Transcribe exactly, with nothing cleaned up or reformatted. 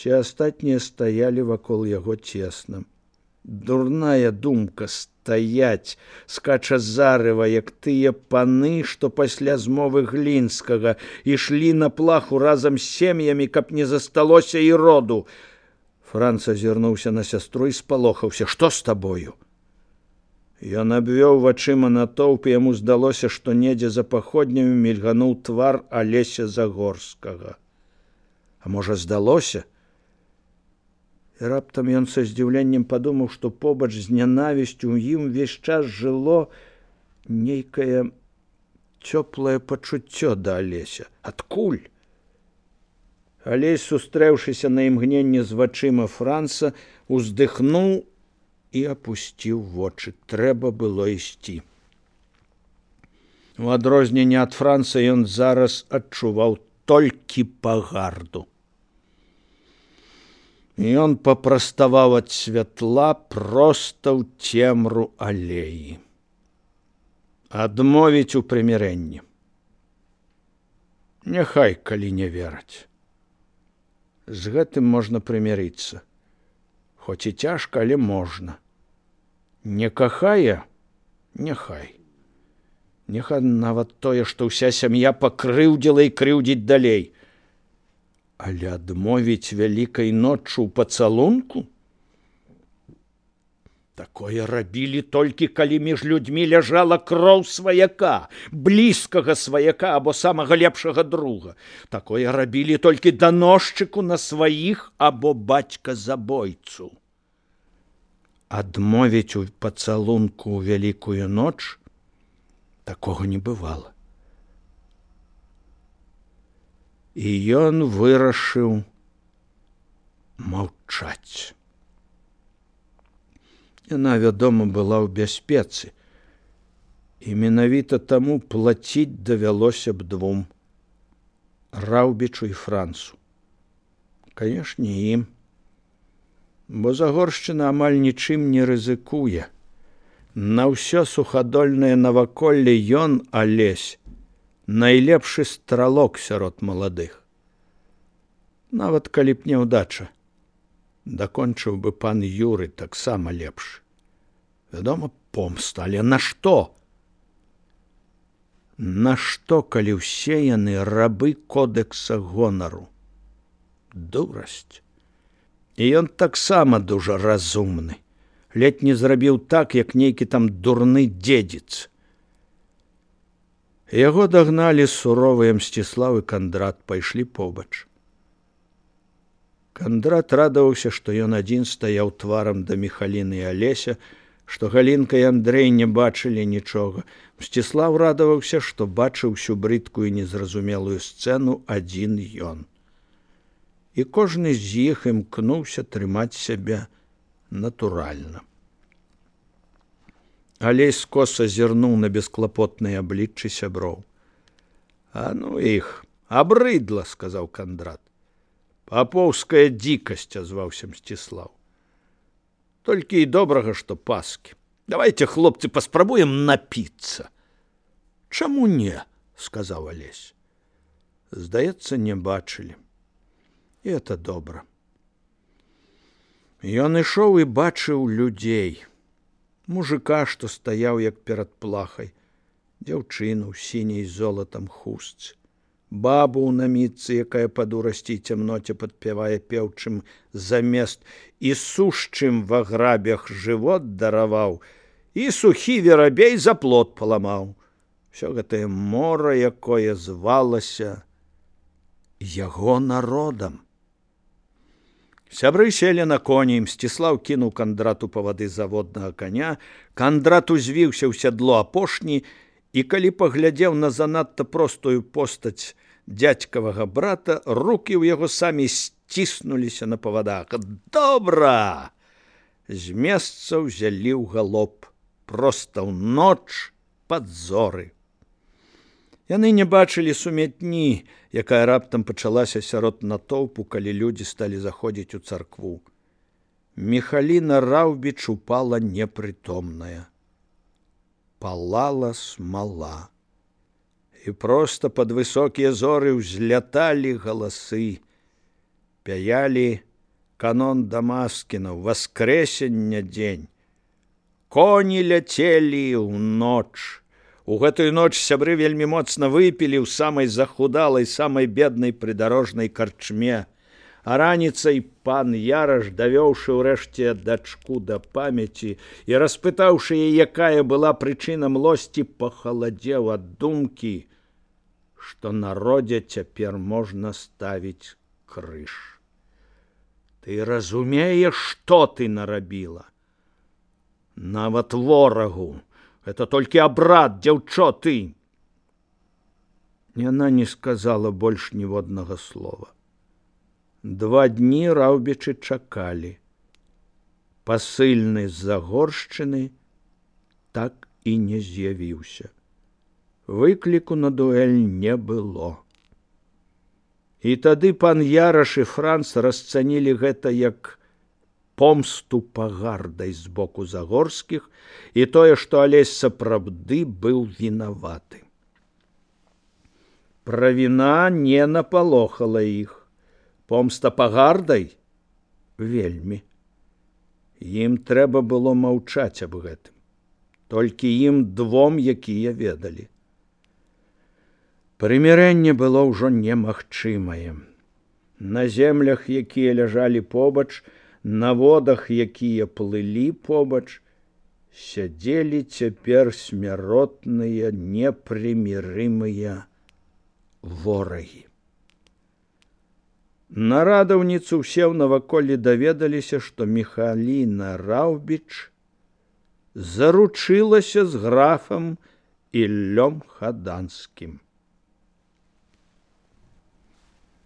Все астатнія стаялі вакол яго цесна. Дурная думка стаяць, скача зарыва, як тыя паны, што пасля змовы Глінскага ішлі на плаху разам з сем'ямі, каб не засталося і роду. Франц азірнуўся на сястру і спалохаўся. Што з табою? Ён абвёў вачыма натоўп, і яму здалося, што недзе за паходнямі мільгануў твар Алеся Загорскага. А можа, здалося? І раптам ён са здзіўленнем падумаў, што побач з нянавісцю ў ім увесь час жыло нейкае цёплае пачуццё да Алеся. Адкуль? Алесь, сустрэўшыся на імгненне з вачыма Франца, уздыхнуў і апусціў вочы. Трэба было ісці. У адрозненне ад Франца ён зараз адчуваў толькі пагарду. Ён папраставаў ад святла проста ў цемру алеі. Адмовіць у прымірэнні. Няхай, калі не вераць. З гэтым можна прымірыцца. Хоць і цяжка, але можна. Не кахае? Няхай. Няхай нават тое, што ўся сям'я пакрыўдзіла і крыўдзіць далей. Але адмовіць вялікай ноччу ў пацалунку? Такое рабілі толькі, калі між людзьмі ляжала кроў сваяка, блізкага сваяка або самага лепшага друга. Такое рабілі толькі даносчыку на сваіх або бацька-забойцу. Адмовіць у пацалунку ў вялікую ноч? Такога не бывала. І ён вырашыў маўчаць. Яна, вядома, была ў бяспецы, і менавіта таму плаціць давялося б двум – Раўбічу і Францу. Канешне, ім, бо Загоршчына амаль нічым не рызыкуе. На ўсё сухадольнае наваколле ён, Алесь, найлепшы стралок сярод маладых. Нават калі б няўдача, дакончыў бы пан Юры таксама лепш. Вядома, помста, але на што? На што, калі ўсе яны рабы кодэкса гонару? Дурасць. І ён таксама дужа разумны. Ледь не зрабіў так, як нейкі там дурны дзедзіц. Яго дагналі суровыя Мсціслаў і Кандрат, пайшлі побач. Кандрат радаваўся, што ён адзін стаяў тварам да Міхаліны і Алеся, што Галінка і Андрэй не бачылі нічога. Мсціслаў радаваўся, што бачыў усю брыдкую незразумелую сцэну адзін ён. І кожны з іх імкнуўся трымаць сябе натуральна. Алесь скоса зірнуў на бесклапотныя абліччы сяброў. А ну іх, абрыдла, сказаў Кандрат. Папоўская дзікасць, азваўся Мсціслаў. Толькі і добрага, што паскі. Давайте, хлопцы, паспрабуем напіцца. Чаму не, сказаў Алесь. Здаецца, не бачылі. І это добра. Ён ішоў і бачыў людзей. Мужика, што стаяў як перад плахай, дзяўчыну ў сіняй золатам хустцы, бабу ў намітцы, якая па дурасці і цямноце падпявае пеўчым замест, і сушчым ва грабях жывот дараваў, і сухі верабей за плот паламаў. Всё гэтае мора, якое звалася яго народам. Сябры селі на коні, Мсціслаў кінуў Кандрату павады заводнага коня, Кандрат узвіўся ў сядло апошні, і калі паглядзеў на занадта простую постаць дзядзькавага брата, рукі ў яго самі сціснуліся на павадах. Добра! З месца ўзялі ў галоп, проста ў ноч пад зоры. Яны не бачылі сумятні, якая раптам пачалася сярод натоўпу, калі людзі сталі заходзіць у царкву. Міхаліна Раўбіч упала непрытомная. Палала смала. І проста пад высокія зоры ўзляталі галасы, пяялі канон Дамаскінаў, васкрэсення дзень. Коні ляцелі ў ноч. У гэтую ноч сябры вельмі моцна выпілі ў самай захудалай, самай беднай прыдарожнай карчме. А раніцай пан Яраш, давёўшы ўрэшце дачку да памяці і распытаўшы яе, якая была прычына млосці, пахаладзеў ад думкі, што народзе цяпер можна ставіць крыж. Ты разумееш, што ты нарабіла? Нават ворагу. Это толькі абрад, дзяўчо, ты. Яна не сказала больш ніводнага слова. Два дні раўбічы чакалі. Пасыльны з-за горшчыны так і не з'явіўся. Выкліку на дуэль не было. І тады пан Яраш і Франц расцанілі гэта як помсту пагардай з боку Загорскіх і тое, што Алесь сапраўды быў вінаваты. Правіна не напалохала іх. Помста пагардай? Вельмі. Ім трэба было маўчаць аб гэтым. Толькі ім двом, якія ведалі. Прымірэнне было ўжо немагчымае. На землях, якія ляжалі побач, на водах, якія плылі побач, сядзелі цяпер смяротныя, непрымірымыя ворагі. На радаўніцу ўсе ў наваколлі даведаліся, што Міхаліна Раўбіч заручылася з графам Іллём Хаданскім.